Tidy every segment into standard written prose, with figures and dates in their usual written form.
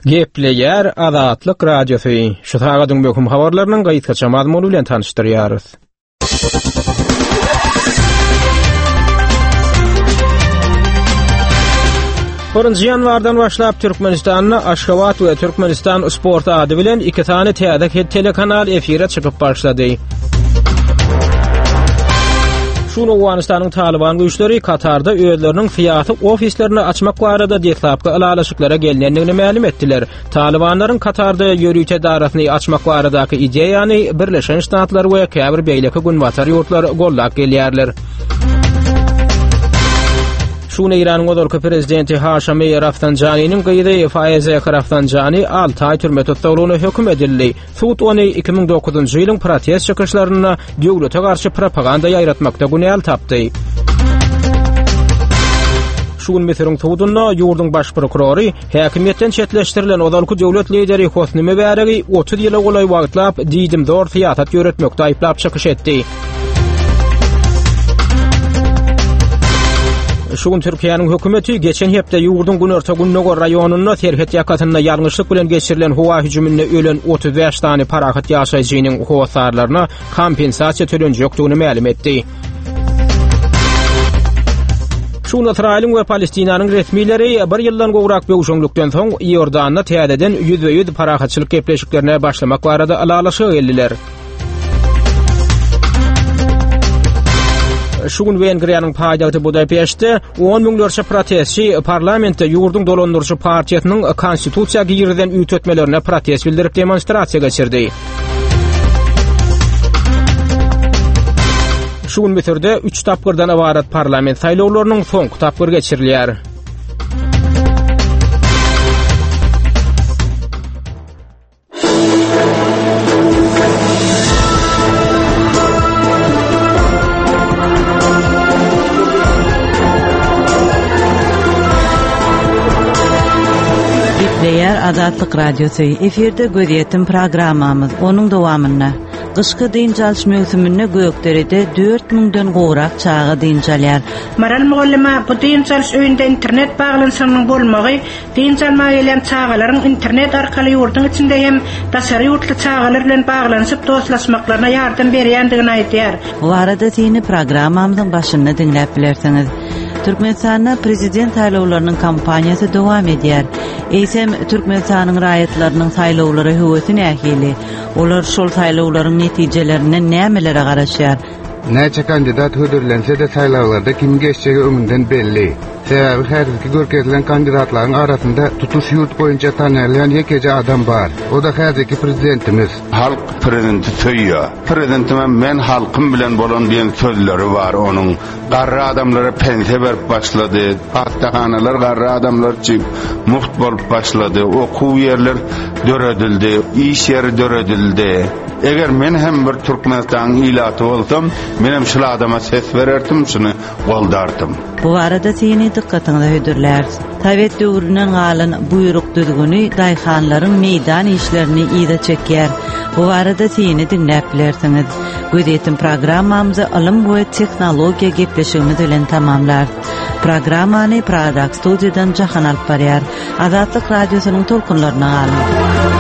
Gepleýär Azatlyk Radiosy, şu sagadyň möhüm habarlarynyň gysgaça mazmuny bilen tanyşdyrýarys. Birinji ýanwardan başlap Türkmenistanda Aşgabat we Türkmenistan sport ady bilen iki sany täze telekanal efire çykyp başlady. Şu gün Owganystanyň Talyban güýçleri Katarda özleriniň syýasy ofislerini açmak barada deslapky ylalaşyklara gelnendigini mälim etdiler. Talybanlaryň Katarda ýörite edarasyny açmak baradaky ideýany Birleşen Ştatlar we käbir beýleki günbatar ýurtlar goldap gelýärler. Şu gün Eýranyň ozalky prezidenti Haşami Rafsanjanynyň gyzy Faeze Rafsanjany 6 aý türme tussaglygyna höküm edildi. Sud ony 2009-njy ýylyň protest çykyşlarynda döwlete garşy propaganda ýaýratmakda günäli tapdy. Şu gün Müsüriň sudunda ýurduň baş prokurory häkimiýetden çetleşdirilen ozalky döwlet lideri Hosni Mübäregi 30 ýyla golaý wagtlap diýdimzor syýasat ýöretmekde aýyplap çykyş etdi. Şu gün Türkiýäniň hökümeti geçen hepde ýurduň günorta-gündogar raýonynda serhet ýakasynda ýalňyşlyk bilen geçirilen howa hüjüminde ölen 35 sany parahat ýaşaýjynyň hossarlaryna kompensasiýa tölenjekdigini mälim etdi. Şu gün Ysraýylyň we Palestinanyň resmileri bir ýyldan gowrak böwşeňlikden soň Iordanda täzeden ýüzbe-ýüz parahatçylyk gepleşiklerine başlamak barada ylalaşyga geldiler. Şu gün Wengriýanyň paýtagty Budapeştde on müňlerçe protestçi parlamentde ýurduň dolandyryjy partiýasynyň konstitusiýa girizen üýtgetmelerine protest bildirip demonstrasiýa geçirdi. Şu gün Müsürde üç tapgyrdan ybarat parlament saýlawlarynyň soňky tapgyry geçirilýär. Gepleýär Azatlyk Radiosy. Efirde gözýetim programmamyz. Onuň dowamynda gyşky dynç alyş möwsüminde Gökderede 4 müňden gowrak çaga dynç alýar. Maral mugallyma bu dynç alyş öýünde internet baglanyşygynyň bolmagy Dynç almaga gelýän çagalaryň internet arkaly ýurduň içinde hem daşary ýurtly çagalar bilen baglanyşyp dostlaşmaklaryna ýardam berýändigini aýdýar. Bu barada syny programmamyzyň başynda diňläp bilersiňiz. Türkmenistanda prezident saýlawlarynyň kampaniýasy dowam edýär. Eýsem, Türkmenistanyň raýatlarynyň saýlawlara höwesi nähili? Olar şol saýlawlaryň netijelerinden nämelere garaşýar? Näçe kandidat hödürlense-de saýlawlarda kimiň geçjegi öňünden belli. Sebäbi häzirki görkezilen kandidatlaryň arasynda tutuş ýurt boýunça tanalýan ýekeje adam bar. O-da häzirki prezidentimiz. Halk prezidenti söýýär. Prezidentimem men halkym bilen bolan diýen sözleri bar onuň. Garry adamlara pensiýa berip başlady. Hassahanalar garry adamlar üçin mugt bolup başlady. Okuw ýerler döredildi. Iş ýeri döredildi. Eger men hem bir Türkmenistanyň ilaty bolsam, menem şul adama ses bererdim, şuny goldardym. Bu barada syny dykgatyňyza hödürläris. Sowet döwründen galan buýruk düzgüni daýhanlaryň meýdan işlerini yza çekýär. Bu barada syny diňläp bilersiňiz. Gözýetim programmamyzy ylym we tehnologiýa gepleşigimiz bilen tamamlarys. Programmany Pragadaky studiýadan Jahan alyp barýar. Azatlyk Radiosynyň tolkunlaryna galyň.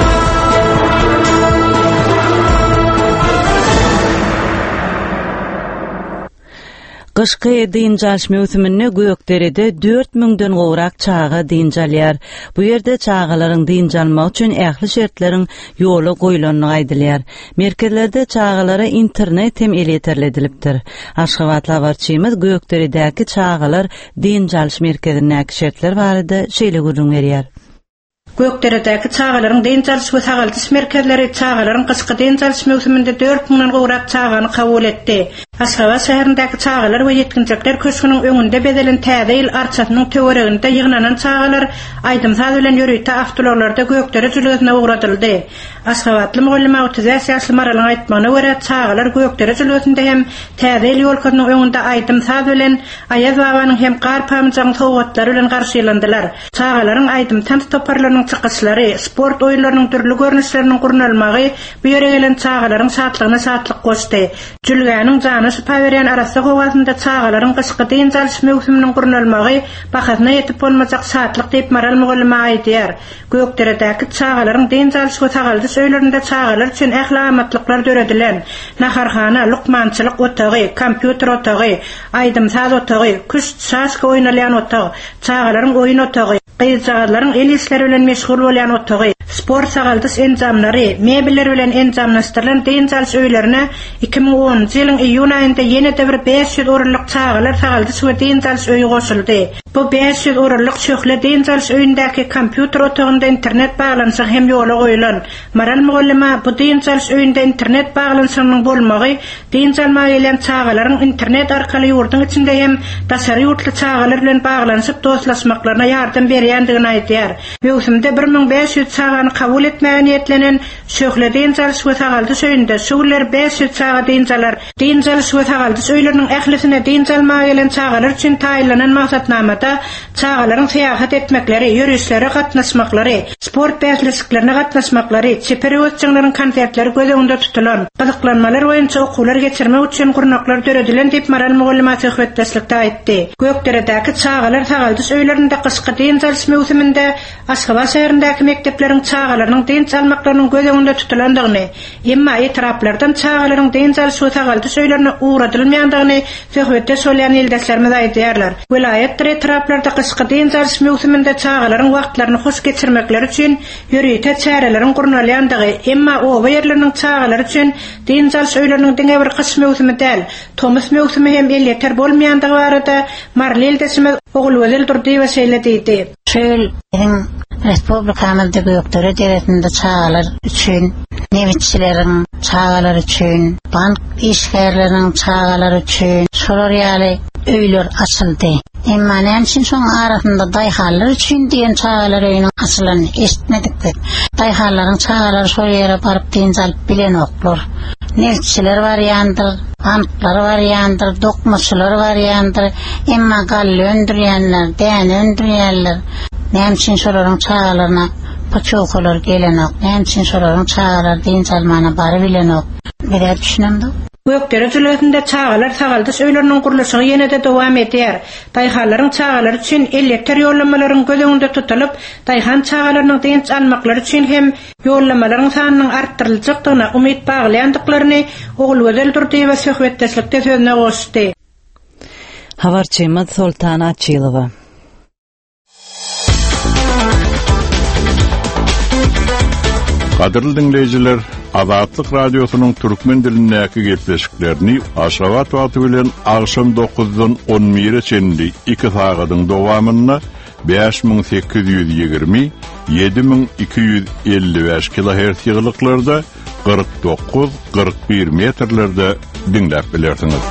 Gyşky dynç alyş möwsüminde Gökderede dört müňden gowrak çaga dynç alýar. Bu ýerde çagalaryň dynç almagy üçin ähli şertleriň ýola goýlandygy aýdylýar. Merkezlerde çagalara internet hem elýeterli edilipdir. Aşgabatly habarçymyz Gökderedäki çagalar dynç alyş merkezindäki şertler barada şeýle gürrüň berýär. Gökderedäki çagalaryň dynç alyş we sagaldyş merkezleri çagalaryň gyşky dynç alyş möwsüminde dört müňden gowrak çagany kabul etdi. Aşgabat şäherindäki Çagalar we ýetginjekler köşgüniň öňünde bezelen Täze ýyl arçasynyň töwereginde ýygnanan çagalar aýdym-saz bilen ýörite awtoulaglarda Gökdere jülgesine ugradyldy. Aşgabatly mugallyma 35 ýaşly Maralyň aýtmagyna görä, çagalar Gökdere jülgesinde hem Täze ýyl ýolkasynyň öňünde aýdym-saz bilen, Aýaz babanyň hem Gar pamyjagyň sowgatlary bilen garşylandylar. Çagalaryň aýdym-tans toparlarynyň çykyşlary, sport oýunlarynyň dürli görnüşleriniň gurnalmagy bu ýere gelen çagalaryň şatlygyna şatlyk goşdy. Jülgäniň jana. Jana şypa berýän arassa howasynda çagalaryň gyşky dynç alyş möwsüminiň gurnalmagy bahasyna ýetip bolmajak şatlyk diýip Maral mugallyma aýdýar. Gökderedäki çagalaryň dynç alyş we sagaldyş öýlerinde çagalar üçin ähli amatlyklar döredilen. Naharhana, lukmançylyk otagy, kompýuter otagy, aýdym-saz otagy, küşt, şaşka oýnalýan otag, çagalaryň oýun otagy, Gyzjagazlaryň el işleri bilen meşgul bolýan otagy, sport-sagaldyş enjamlary, mebeller bilen enjamlaşdyrylan dynç alyş öýlerine 2010-njy ýylyň iýun aýynda ýene-de bir 500 orunlyk çagalar sagaldyş we dynç alyş öýi goşuldy. Bu 500 orunlyk Şöhle dynç alyş öýündäki kompýuter otagynda internet baglanyşygy hem ýola goýulan. Maral mugallyma bu dynç alyş öýünde internet baglanyşygynyň bolmagy dynç almaga gelýän çagalaryň internet arkaly ýurduň içinde hem daşary ýurtly çagalar bilen baglanyşyp dostlaşmaklaryna ýardam berýändigini aýdýar. Möwsümde 1500 çagany kabul etmäge niýetlenen Şöhle dynç alyş we sagaldyş öýünde şu günler 500 çaga dynç alar. Dynç alyş we sagaldyş öýleriniň ählisine dynç almaga gelen çagalar üçin taýynlanan maksatnamada çagalaryň syýahat etmekleri, ýörişlere gatnaşmaklary, sport bäsleşiklerine gatnaşmaklary, çeper höwesjeňleriň konsertleri göz öňünde tutulan. Gyzyklanmalar boýunça okuwlar geçirmek üçin gurnaklar döredilen diýip Maral mugallyma söhbetdeşlikde aýtdy. Gökderedäki çagalar sagaldyş öýlerinde gyşky dynç alyş möwsüminde Aşgabat şäherindäki mekdepleriň çagalarynyň dynç almaklarynyň göz öňünde tutulandygyny, emma etraplardan çagalaryň dynç alyş we sagaldyş öýlerine ugradylmaýandygyny söhbetdeş bolýan ildeşlerimiz aýdýarlar. Welaýatdyr etraplarda gyşky dynç alyş möwsüminde çagalaryň wagtlaryny hoş geçirmekleri üçin ýörite çäreleriň gurnalýandygy, emma oba ýerleriniň çagalary üçin dynç alyş öýleriniň diňe bir gyş möwsümi däl, tomus möwsümi hem elýeter bolmaýandygy barada maryly ildeşimiz Ogulgözel Durdyýewa şeýle diýdi. Şu ýyl biziň respublikamyzda Gökdere deresinde çagalar üçin, nebitçileriň çagalary üçin, bank işgärleriniň çagalary üçin şolar ýaly öýler açyldy. Emma näme üçin şoň arasynda daýhanlar üçin diýen çagalar öýüniň açylanyny eşitmedik biz. Daýhanlaryň çagalary şol ýere baryp dynç alyp bilenoklar. Nebitçiler barýandyr, banklar barýandyr, dokmaçylar barýandyr. Emma galla öndürýänler, däne öndürýänler, näme üçin şolaryň çagalaryna putýowkalar gelenok, näme üçin şolaryň çagalary dynç almana barybilenok, biz-ä düşünemzok. Gökdere jülgesinde çagalar sagaldyş öýleriniň gurluşygy ýene-de dowam edýär. Daýhanlaryň çagalary üçin elýeter ýollamalaryň göz öňünde tutulyp, daýhan çagalarynyň dynç almaklary üçin hem ýollamalaryň sanynyň artdyryljakdygyna umyt baglaýandyklaryny Ogulgözel Durdyýewa söhbetdeşlikde sözüne goşdy. Habarçymyz Soltan Açylowa. Gadyrly diňleýjiler, Azatlyk Radiosynyň türkmen dilindäki gepleşiklerini Aşgabat wagty bilen agşam dokuzdan on bire çenli iki sagadyň dowamynda 5820, 7255 kilohertz ýygylyklarda 49, 41 metrlerde diňläp bilersiňiz.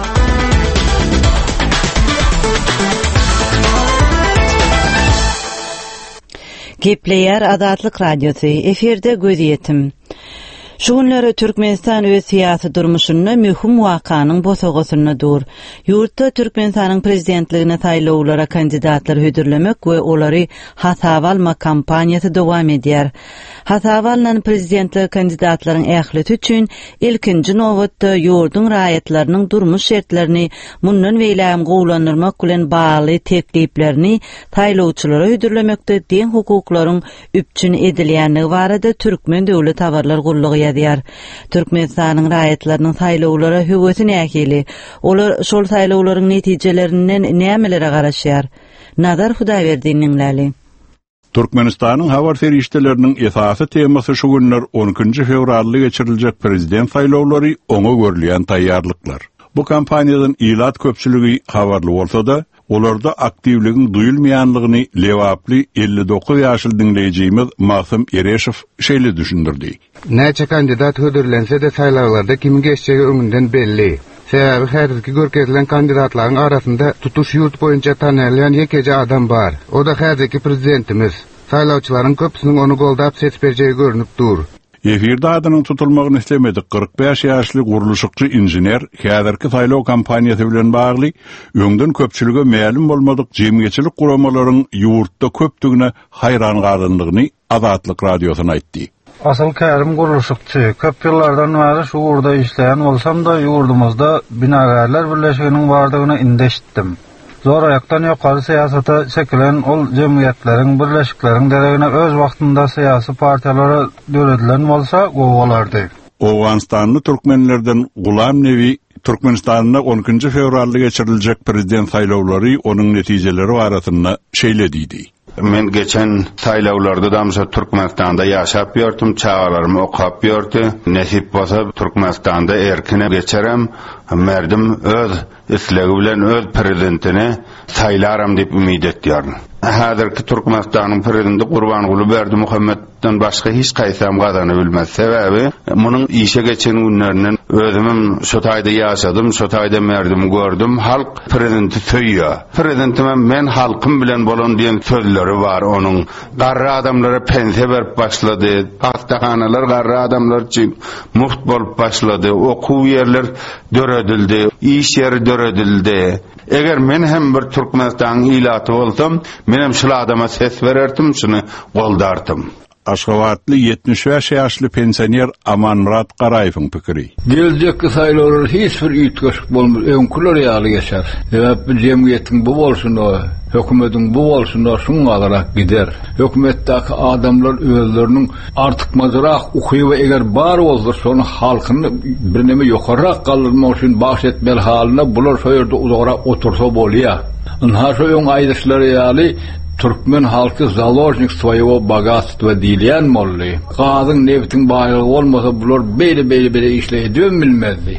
Gepleýär Azatlyk Radiosy, efirde gözýetim. Şu günler Türkmenistan öz syýasy durmuşynda möhüm wakanyň bosagasynda dur. Ýurtda Türkmenistanyň prezidentligine saýlawlara kandidatlar hödürlemek we olary hasaba almak kampaniýasy dowam edýär. Hasaba alnan prezidentlige kandidatlaryň ählisi üçin ilkinji nobatda ýurduň raýatlarynyň durmuş şertlerini mundan beýlägem gowulandyrmak bilen bagly tekliplerini saýlawçylara hödürlemekde deň hukuklaryň üpjün edilýändigi barada Türkmen döwlet habarlar gullugy ýazýar. Türkmenistanyň raýatlarynyň saýlawlara höwesi nähili? Olar şol saýlawlaryň netijelerinden nämelere garaşýar? Nazar Hudaýberdini diňläli. Türkmenistanyň habar serişdeleriniň esasy temasy şu günler on ikinji fewralda geçiriljek prezident saýlawlary, oňa görülýän taýýarlyklar. Bu kampaniýadan ilat köpçüligi habarly bolsa-da, olarda aktiwligiň duýulmaýanlygyny lebaply 59 ýaşly diňleýjimiz Magsym Ereşow şeýle düşündirdi. Näçe kandidat hödürlense-de saýlawlarda kimiň geçjegi öňünden belli. Sebäbi häzirki görkezilen kandidatlaryň arasynda tutuş ýurt boýunça tanalýan ýekeje adam bar. O-da häzirki prezidentimiz. Saýlawçylaryň köpüsiniň ony goldap ses berjegi görnüp dur. Efirde adynyň tutulmagyny islemedik 45 ýaşly gurluşykçy inžener häzirki saýlaw kampaniýasy bilen bagly öňden köpçülige mälim bolmadyk jemgyýetçilik guramalaryň ýurtda köpdügine haýran galandygyny Azatlyk Radiosyna aýtdy. Asyl kärim gurluşykçy. Köp ýyllardan bäri şu ugurda işleýän bolsam-da, ýurdumyzda Binagärler birleşiginiň bardygyny indi eşitdim. Zoraýakdan ýokary syýasata çekilen ol jemgyýetleriň, birleşikleriň deregine öz wagtynda syýasy partiýalar döredilen bolsa, gowy bolardy. Owganystanly türkmenlerden Gulam Nebi Türkmenistanda on ikinji fewralda geçiriljek prezident saýlawlary, onuň netijeleri barasynda şeýle diýdi. Men geçen saýlawlarda-dam şo Türkmenistanda ýaşap ýörtüm, çagalarym okap ýördi. Nesip bolsa Türkmenistanda erkine geçerem, merdim öz islegi bilen öz prezidentini saýlaram diýip umyt etýärin. Häzirki Türkmenistanyň prezidenti Gurbanguly Berdimuhametden başga hiç haýsam gazanybilmez. Sebäbi munuň işe geçen günlerinden özümem şo taýda ýaşadym, şo taýda merdimi gördüm. Halk prezidenti söýýär. Prezidentimem men halkym bilen bolan diýen sözleri bar onuň. Garry adamlara pensiýa berip başlady. Hassahanalar garry adamlar üçin mugt bolup başlady. Okuw ýerler döredildi, iş ýeri döredildi. Eger men hem bir Türkmenistanyň ilaty bolsam, menem şul adama ses bererdim, şuny goldartym. Aşgabatly 75 ýaşly pensioner Amanmyrat Garaýewiň pikiri. Geljekki saýlawlar hiç bir üýtgeşik bolmaz, öňküler ýaly geçer. Sebäp bu jemgyýetiň bu bolşuna, hökümetiň bu bolşuna şuňňalarak gider. Hökümetdäki adamlar özleriniň Artykmajrak ukyby eger bar bolsa, şony halkyny birneme ýokarrak galdyrmak üçin bagyş etmeli halyna bular şo ýerde uzagrak otursa bolýa. Ynha şo öň aýdyşlary ýaly türkmen halky založnik svoýego bogatstva diýilýän boldy. Gazyň, nebtiň baýlygy bolmasa bular beýle-beýle beýle işler edibem bilmezdi.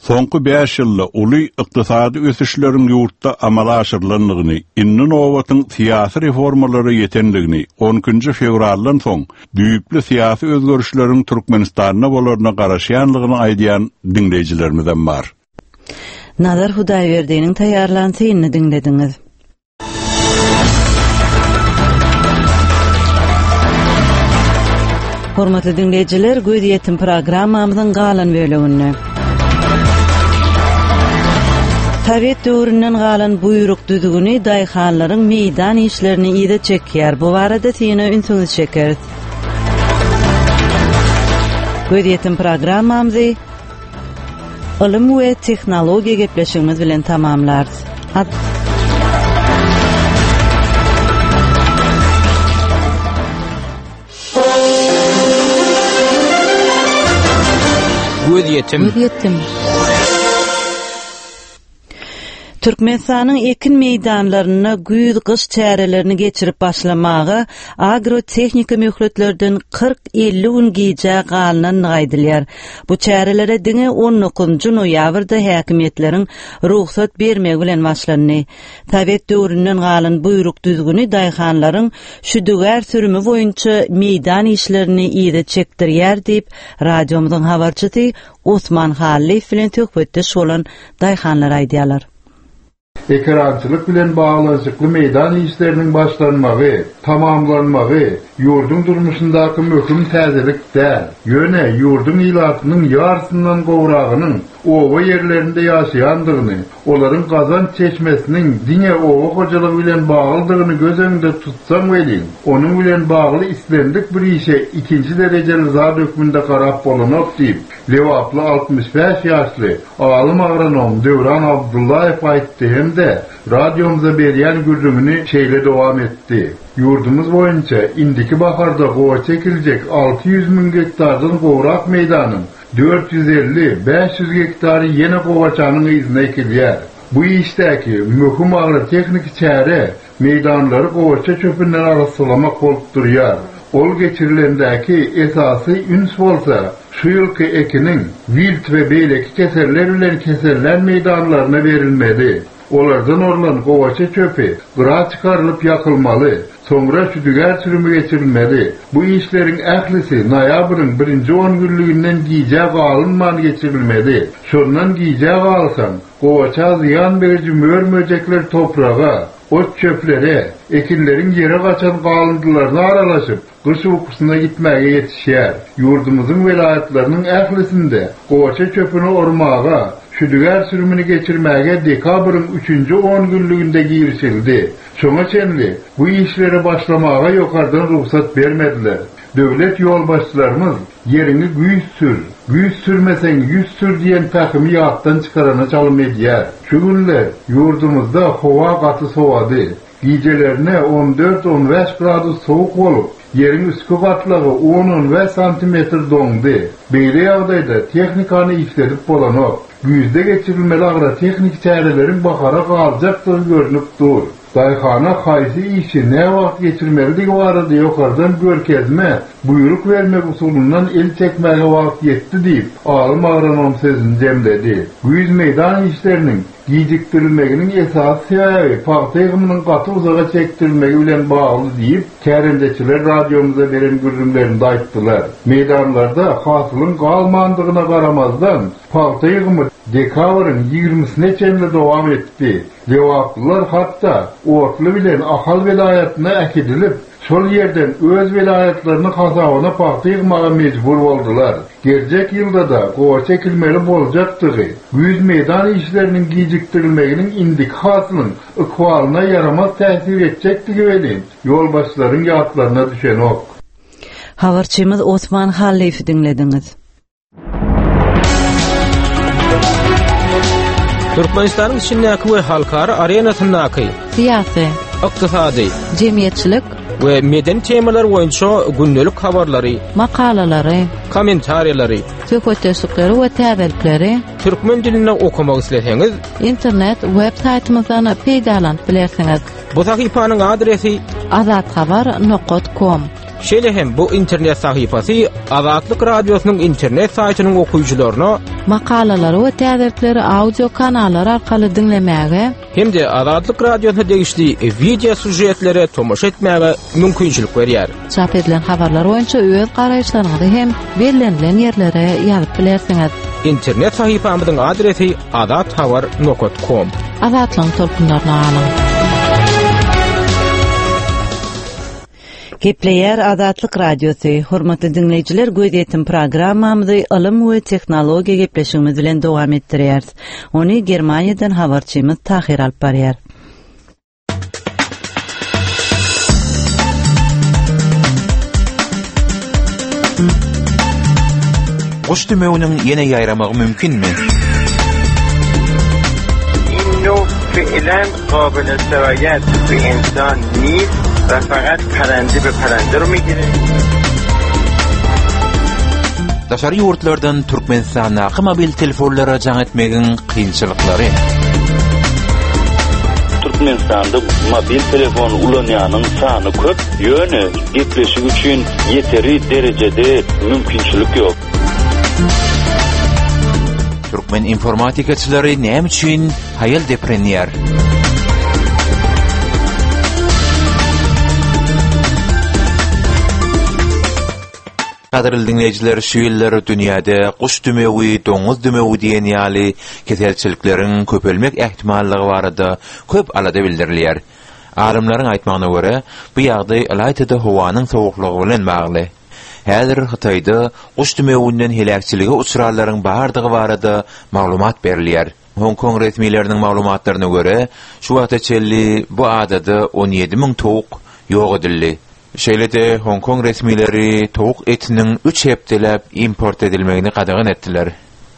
Soňky bäş ýylda uly ykdysady ösüşleriň ýurtda amala aşyrylandygyny, indi nobatyň syýasy reformalara ýetendigini, on ikinji fewraldan soň düýpli syýasy özgerişleriň Türkmenistanda bolaryna garaşýanlygyny aýdýan diňleýjilerimizem bar. Nazar Hudaýberdiniň taýýarlan synyny diňlediňiz. Hormatly diňleýjiler, gözýetim programmamyzyň galan böleginde Sowet döwründen galan buýruk düzgüni daýhanlaryň meýdan işlerini yza çekýär. Bu barada syna ünsüňizi çekeris. Gözýetim programmamyzy Ylym we tehnologiýa gepleşigimiz bilen tamamlarys. Gözýetim. Gözýetim. Türkmenistanyň ekin meýdanlarynda güýz-gyş çärelerini geçirip başlamaga agrotehniki möhletlerden 40-50 gün gijä galnandygy aýdylýar. Bu çärelere diňe on dokuzynjy noýabrda häkimiýetleriň rugsat bermegi bilen başlandy. Sowet döwründen galan buýruk düzgüni daýhanlaryň şüdügär sürümi boýunça meýdan işlerini yza çekdirýär diýip, radiomyzyň habarçysy Osman Hallyýew bilen söhbetdeş bolan daýhanlar aýdýarlar. Ekerançylyk bilen baglanyşykly meýdan işleriniň başlanmagy, tamamlanmagy ýurduň durmuşyndaky möhüm täzelik däl. Ýöne ýurduň ilatynyň ýarysyndan gowragynyň oba ýerlerinde ýaşaýandygyny, olaryň gazanç çeşmesiniň diňe oba hojalygy bilen baglydygyny göz öňünde tutsaň welin, onuň bilen bagly islendik bir işe ikinji derejeli zat hökmünde garap bolanok diýip, lebaply 65 ýaşly alym agronom Döwran Abdyllaýew aýtdy hem-de radiomyza berýän gürrüňini şeýle dowam etdi, Ýurdumyz boýunça indiki baharda gowaça ekiljek 600 müň gektardan gowrak meýdanyň 450, 500 gektary ýene gowaçanyň yzyna ekilýär. Bu işdäki möhüm agrotehniki çäre meýdanlary gowaça çöpünden arassalamak bolup durýar. Ol geçirilendäki esasy üns bolsa şu ýylky ekiniň wilt we beýleki keseller bilen kesellän meýdanlaryna berilmeli. Olardan orlan gowaça çöpi gyra çykarylyp ýakylmaly, soňra şüdügär sürümi geçirilmeli. Bu işleriň ählisi noýabryň birinji ongünlüginden gijä galynman geçirilmeli. Şondan gijä galsaň, gowaça zyýan beriji mör-möjekler topraga, ot-çöplere, ekinleriň ýere gaçan galyndylaryna aralaşyp, gyş ukusyna gitmäge ýetişýär. Ýurdumyzyň welaýatlarynyň ählisinde gowaça çöpüni ormaga, şüdügär sürümini geçirmäge dekabryň üçünji ongünlüginde girişildi. Şoňa çenli bu işlere başlamaga ýokardan rugsat bermediler. Döwlet ýolbaşçylarymyz Ýeriňi güýz sür, güýz sürmeseň ýüz sür diýen pähimi ýatdan çykarana çalym edýär. Şu günler ýurdumyzda howa gaty sowady. Gijelerine on dört-on bäş gradus sowuk bolup, ýeriň üstki gatlagy on-on bäş santimetr doňdy. Beýle ýagdaýda tehnikany işledip bolanok. Güýzde geçirilmeli agrotehniki çäreleriň bahara galjakdygy görnüp dur. Daýhana haýsy işi näwagt geçirmelidigi barada ýokardan görkezme, buýruk bermek usulyndan el çekmäge wagt ýetdi diýip, alym agronom sözüni jemledi. Güýz meýdan işleriniň gijikdirilmeginiň esasy sebäbi pagta ýygymynyň gaty uzaga çekdirilmegi bilen bagly diýip, kärendeçiler radiomyza beren gürrüňlerinde aýtdylar. Meýdanlarda hasylyň galmandygyna garamazdan, pagta ýygymy dekabryň ýigrimisine çenli dowam etdi. Lebaplylar hatda otly bilen Ahal welaýatyna äkidilip, şol ýerden öz welaýatlarynyň hasabyna pagta ýygmaga mejbur boldular. Geljek ýylda-da gowaça ekilmeli boljakdygy, güýz meýdan işleriniň gijikdirilmeginiň indiki hasylyň ykbalyna ýaramaz täsir etjekdigi welin, ýolbaşçylaryň ýatlaryna düşenok. Habarçymyz Osman Hallyýewi diňlediňiz. Türkmenistanyň içindäki we halkara arenasyndaky syýasy, ykdysady, jemgyýetçilik we medeni temalar boýunça gündelik habarlary, makalalary, kommentariýalary, söhbetdeşlikleri we täzelikleri türkmen dilinde okamak isleseňiz, internet web saýtymyzdan peýdalanyp bilersiňiz. Bu sahypanyň adresi azathabar nokat kom. Şeýle hem bu internet sahypasy Azatlyk Radiosynyň internet saýtynyň okyjylaryna makalalary we täzelikleri audio kanallar arkaly diňlemäge hem-de Azatlyk Radiosyna degişli wideo sýužetlere tomaşa etmäge mümkinçilik berýär. Çap edilen habarlar boýunça öz garaýyşlaryňyzy hem bellenilen ýerlere ýazyp bilersiňiz. Internet sahypamyzyň adresi azathabar nokat kom. Azatlygyň tolkunlaryna galyň! Gepleýär Azatlyk Radiosy. Hormatly diňleýjiler, gözýetim programmamyzy ylym we tehnologiýa gepleşigimiz bilen dowam etdirýäris. Ony Germaniýadan habarçymyz Tahyr alyp barýar. Guş dümewiniň ýene ýaýramagy mümkinmi? قابل سرایت به انسان نیست و فقط پرنده به پرنده رو میگیره Daşary ýurtlardan Türkmenistandaky mobil telefonlara jaň etmegiň kynçylyklary. Türkmenistanda mobil telefon ulanýanyň sany köp, ýöne gepleşik üçin ýeteri derejede mümkinçilik ýok. Türkmen informatikaçylary näme üçin haýal deprenýär? Gadyrly diňleýjiler, şu ýyllar dünýäde guş dümewi, doňuz dümewi diýen ýaly keselçilikleriň köpelmek ähtimallygy barada köp alada bildirilýär. Alymlaryň aýtmagyna görä, bu ýagdaý ylaýta-da howanyň sowuklygy bilen bagly. Häzir Hytaýda guş dümewinden heläkçilige uçranlaryň bardygy barada maglumat berilýär. Hong-Kong resmileriniň maglumatlaryna görä, şu wagta çenli bu adada 17 müň towuk ýok edildi. Şeýle-de Hong-Kong resmileri towuk etiniň üç hepdeläp import edilmegini gadagan etdiler.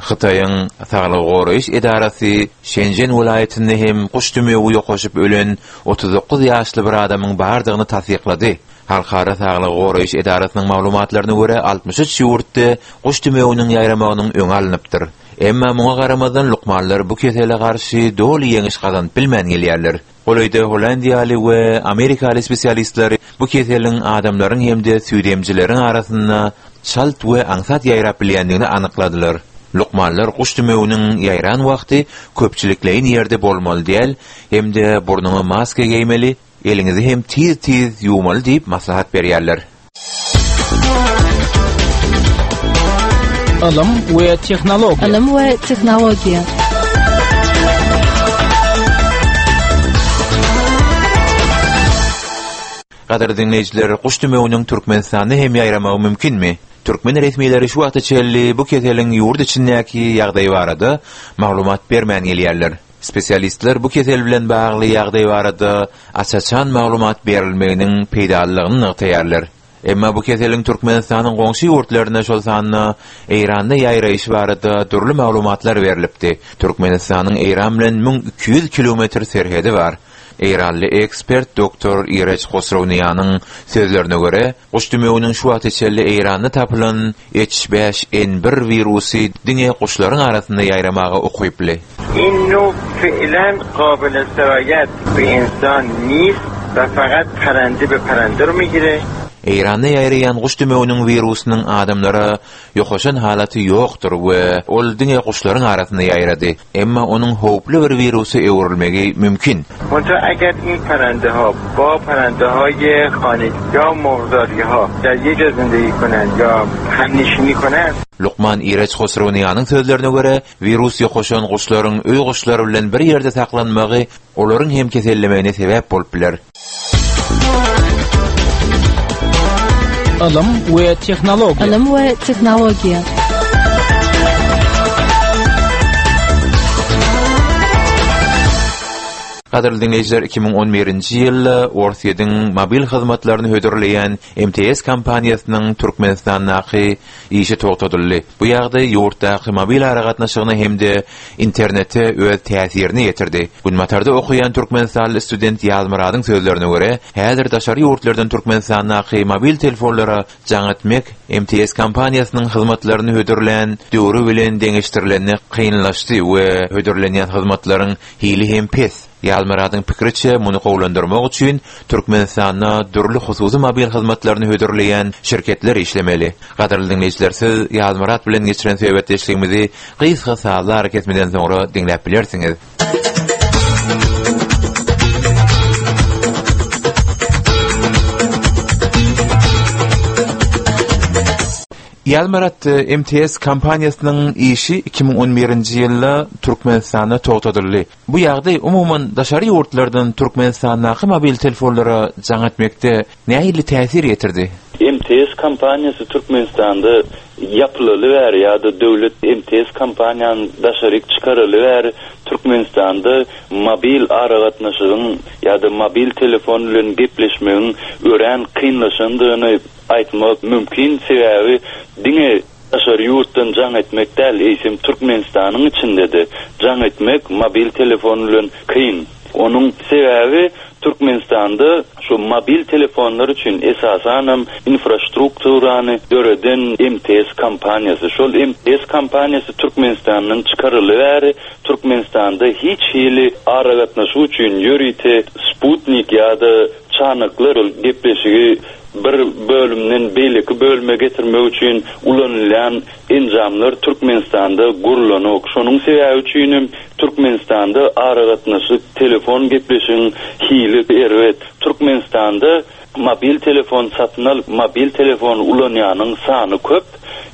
Hytaýyň saglygy goraýyş edarasy Şenžen welaýatynda hem guş dümewi ýokaşyp ölen 39 ýaşly bir adamyň bardygyny tassyklady. Halkara saglygy goraýyş edarasynyň maglumatlaryna görä, 63 ýurtda guş dümewiniň ýaýramagynyň öňi alnypdyr. Emma muňa garamazdan lukmanlar bu kesele garşy doly ýeňiş gazanyp bilmän gelýärler. Golaýda hollandiýaly we amerikaly spesialistler bu keseliň adamlaryň hem-de süýdemjileriň arasynda çalt we aňsat ýaýrap bilýändigini anykladylar. Lukmanlar guş dümewiniň ýaýran wagty köpçülikleýin ýerde bolmaly däl hem-de burnuňa maska geýmeli, Eliňizi hem tiz-tiz ýuwmaly diýip maslahat berýärler. Ylym we tehnologiýa. Ylym we tehnologiýa. Gadyrly diňleýjiler, guş dümewiniň Türkmenistanda hem ýaýramagy mümkinmi? Türkmen resmileri şu wagta çenli bu keseliň ýurt içindäki ýagdaýy barada maglumat bermän gelýärler. Spesialistler bu kesel bilen bagly ýagdaý barada aç-açan maglumat berilmeginiň peýdalylygyny nygtaýarlar. Emma bu keseliň Türkmenistanyň goňşy ýurtlarynda, şol sanda Eýranda ýaýraýşy barada dürli maglumatlar berlipdi. Türkmenistanyň Eýran bilen 1200 kilometr serhedi bar. Eýranly ekspert doktor Irej Hosrowniýanyň sözlerine görä, guş dümewiniň şu wagta çenli Eýranda tapylan H5N1 wirusy diňe guşlaryň arasynda ýaýramaga ukyply. In noww fe'len qabil serayat be insan nist we fakat parande be parande ro migire. Eýranda ýaýraýan guş dümewiniň wirusynyň adamlara ýokaşan halaty ýokdur we ol diňe guşlaryň arasynda ýaýrady. Emma onuň howply bir wirusa öwrülmegi mümkin. Munta agar in parandeha ba parandehaye hanegi ya murgzariha dar ye ja zindegi konand ya hamnishini konand. Lukman Irej Hosrowniýanyň sözlerine görä, wirus ýokaşan guşlaryň öý guşlary bilen bir ýerde saklanmagy olaryň hem kesellemegine sebäp bolup biler. Ylym we tehnologiýa. Ylym we tehnologiýa. Gadyrly diňleýjiler, 2011-nji ýylda Orsýetiň mobil hyzmatlaryny hödürleýän MTS kompaniýasynyň Türkmenistandaky işi togtadyldy. Bu ýagdaý ýurtdaky mobil aragatnaşygyna hem-de internete öz täsirini ýetirdi. Günbatarda okaýan türkmenistanly student Ýazmyradyň sözlerine görä, häzir daşary ýurtlardan Türkmenistandaky mobil telefonlara jaň etmek MTS kompaniýasynyň hyzmatlaryny hödürlän döwri bilen deňeşdirilende kynlaşdy we hödürlenýän hyzmatlaryň hili hem pes. Ýazmyradyň pikiriçe, muny gowulandyrmak üçin Türkmenistanda dürli hususy mobil hyzmatlaryny hödürleýän şirketler işlemeli. Gadyrly diňleýjiler, siz Ýazmyrat bilen geçiren söhbetdeşligimizi gysga sazly arakesmeden soňra diňläp bilersiňiz. Ýazmyrat, MTS kompaniýasynyň işi 2011-nji ýylda Türkmenistanda togtadyldy. Bu ýagdaý umuman daşary ýurtlardan Türkmenistandaky mobil telefonlara jaň etmekde nähili täsir ýetirdi? MTS kompaniýasy Türkmenistanda ýapylaly bäri ýa-da döwlet MTS kompaniýany daşaryk çykaraly bäri Türkmenistanda mobil aragatnaşygyň ýa-da mobil telefon bilen gepleşmegiň örän kynlaşandygyny aýtmak mümkin, sebäbi diňe Daşary ýurtdan jaň etmek däl, eýsem Türkmenistanyň içinde-de jaň etmek mobil telefon bilen kyn. Onuň sebäbi Türkmenistanda şu mobil telefonlar üçin esasanam infrastrukturany döreden MTS kompaniýasy. Şol MTS kompaniýasy Türkmenistandan çykaryly bäri Türkmenistanda hiç hili aragatnaşyk üçin ýörite sputnik ýa-da çanaklar gepleşigi bir bölümden beýleki bölüme getirmek üçin ulanylýan enjamlar Türkmenistanda gurlanok. Şonuň sebäbi üçin hem Türkmenistanda aragatnaşyk, telefon gepleşigiň hili erbet. Türkmenistanda mobil telefon satyn alyp, mobil telefon ulanýanyň sany köp,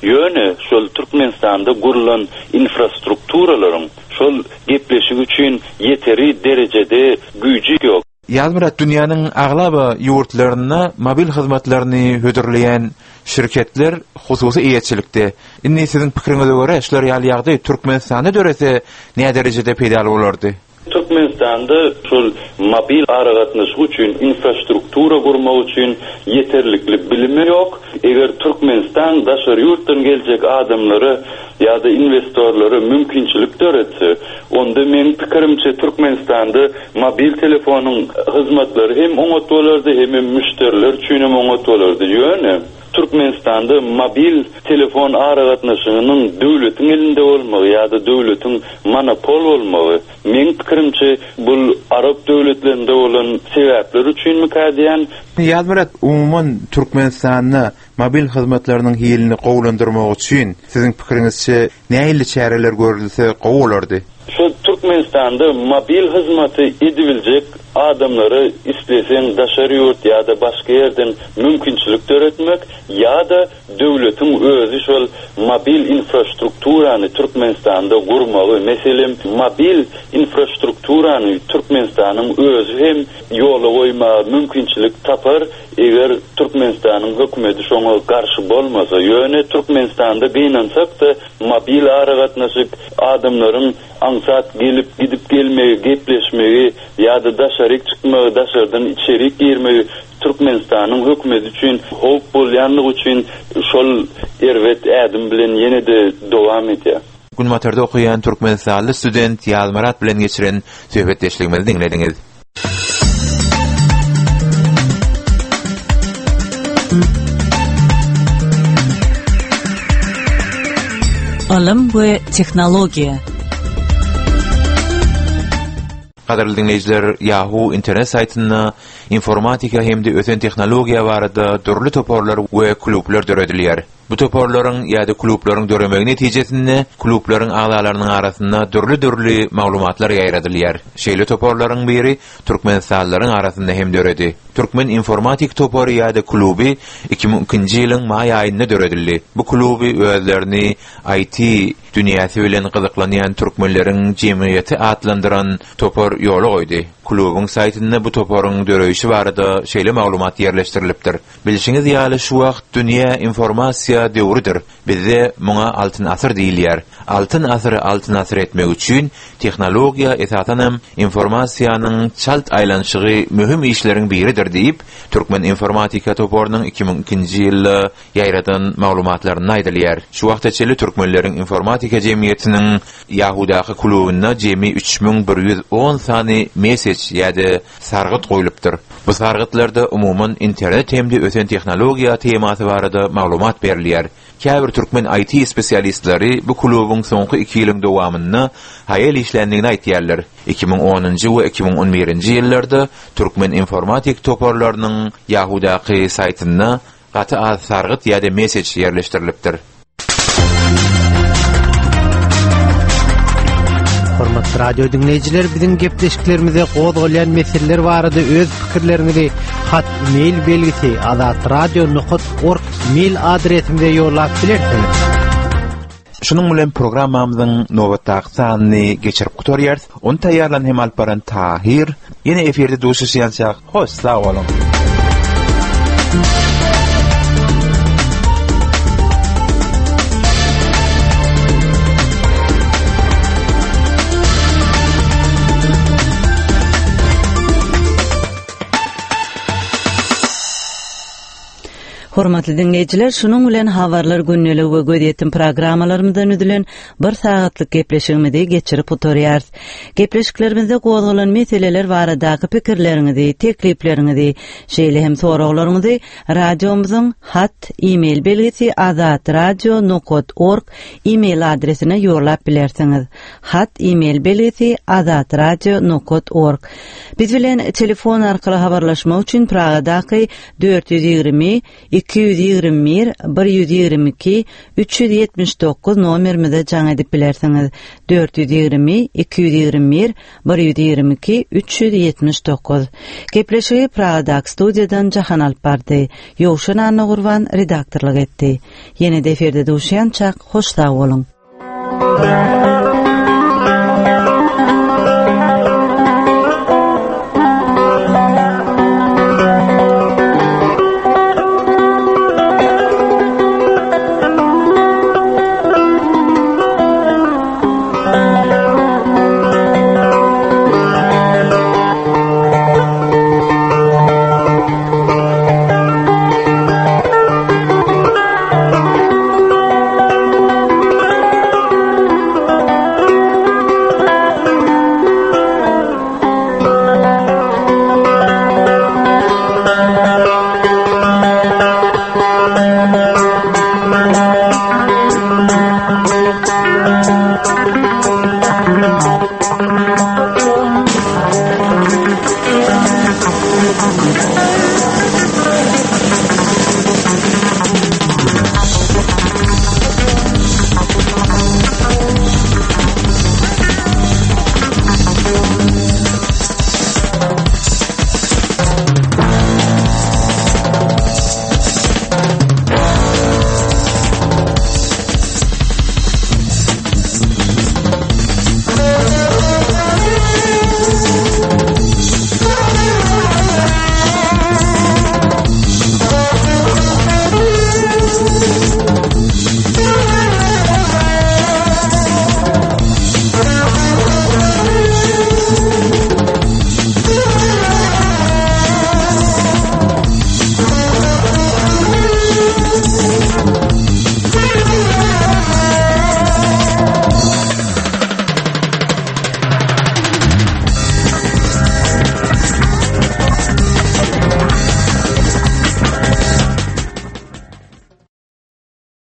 ýöne şol Türkmenistanda gurlan infrastrukturalaryň şol gepleşik üçin ýeteri derejede güýji ýok. Ýazmyrat, dünýäniň aglaba ýurtlarynda mobil hyzmatlaryny hödürleýän şirketler hususy eýeçilikde. Indi siziň pikiriňize görä, şular ýaly ýagdaý Türkmenistanda dörese näderejede peýdaly bolardy? Türkmenistanda şol mobil aragatnaşyk üçin infrastruktura gurmak üçin ýeterlikli bilim ýok. Eger Türkmenistan daşary ýurtdan geljek adamlara ýa-da inwestorlara mümkinçilik döretse, onda meň pikirimçe Türkmenistanda mobil telefonyň hyzmatlary hem oňat bolardy, hemem müşderiler üçin hem oňat bolardy. Ýöne Türkmenistanda mobil telefon aragatnaşygynyň döwletiň elinde bolmagy ýa-da döwletiň monopol bolmagy, meň pikirimçe, bul arap döwletlerinde bolan sebäpler üçinmikä diýýän. Ýazmyrat, umuman Türkmenistanda Mobil hyzmatlarynyň hilini gowulandyrmak üçin, siziň pikiriňizçe, nähili çäreler görülse gowy bolardy? Şu Türkmenistanda mobil hyzmaty edibiljek adamlara isleseň daşary ýurt ýa-da başga ýerden mümkinçilik döretmek ýa-da döwletiň özi şol mobil infrastrukturany Türkmenistanda gurmagy, meselem mobil infrastrukturany. infrastrukturany Türkmenistanyň özi hem ýola goýmaga mümkinçilik tapar, eger Türkmenistanyň hökümeti şoňa garşy bolmasa. Ýöne Türkmenistanda gynansak-da mobil aragatnaşyk adamlaryň aňsat gelip, gidip gelmegi, gepleşmegi ýa-da daşaryk çykmagy, daşardan içerik girmegi Türkmenistanyň hökümeti üçin howp bolýanlygy üçin şol erbet ädim bilen ýene-de dowam edýär. Günbatarda okaýan türkmenistanly student Ýazmyrat bilen geçiren söhbetdeşligimizi diňlediňiz. Ylym we tehnologiýa. Gadyrly diňleýjiler, Yahoo internet saýtynda informatika hem-de ösen tehnologiýa barada dürli toparlar we klublar döredilýär. Bu toparlaryň ýa-da klublaryň döremegi netijesinde klublaryň agzalarynyň arasynda dürli-dürli maglumatlar ýaýradylýar. Şeýle toparlaryň biri türkmenistanlylaryň arasynda hem döredi. Türkmen informatik topary ýa-da kluby 2002-nji ýylyň maý aýynda döredildi. Bu kluby özlerini IT dünýäsi bilen gyzyklanýan türkmenleriň jemgyýeti atlandyran topar ýola goýdy. Klubyň saýtynda bu toparyň döreýşi barada şeýle maglumat ýerleşdirilipdir. Bilşiňiz ýaly, şu wagt dünýä informasiýa döwrüdir. Bizde muňa Altyn asyr diýilýär. Altyn asyry altyn asyr etmek üçin tehnologiýa, esasanam, informasiýanyň çalt aýlanyşygy möhüm işleriň biridir diýip, Türkmen informatika toparynyň 2002-nji ýylda ýaýradan maglumatlarynda aýdylýar. Şu wagta çenli türkmenleriň informatika jemgyýetiniň Ýahudaky klubynda jemi 3110 sany mesej ýa-da sargyt goýlupdyr. Bu sargytlarda umuman internet hem-de ösen tehnologiýa temasy barada maglumat berilýär. Käbir türkmen IT spesialistleri bu klubuň soňky iki ýylyň dowamynda haýal işländigini aýtýarlar. 2010-njy we 2011-nji ýyllarda türkmen informatik toparlarynyň Ýahudaky saýtynda Gaty az sargyt ýa-da mesej ýerleşdirilipdir. Hormatly radio diňleýjiler, biziň gepleşiklerimize gozgalýan meseleler barada öz pikirleriňizi hat mail belgisi azatradio.org mail adresimize ýollap bilersiňiz. Şunuň bilen programmamyzyň nobatdaky sanyny geçirip gutarýarys. Ony taýýarlan hem alyp baran Tahyr. Ýene efirde duşuşýançak, hoş sag boluň! Hormatly diňleýjiler, şunuň bilen Habarlar gündeligi we gözýetim programmalarymyzdan düzülen bir sagatlyk gepleşigimizi geçirip gutarýarys. Gepleşiklerimizde gozgalan meseleler baradaky pikirleriňizi, teklipleriňizi, şeýle hem soraglaryňyzy radiomyzyň hat, e-mail belgisi azatradio nokat org e-mail adresine ýollap bilersiňiz. Hat, e-mail belgisi azatradio nokat org. Biz bilen telefon arkaly habarlaşmak üçin Pragadaky 420 221 122 379 nomerimize jaň edip bilersiňiz. 420 221 122 379. Gepleşigi Pragadaky studiýadan Jahan alyp bardy. Ýowşan Annagurban redaktorlyk etdi. Ýene-de efirde duşýançak hoş sag boluň.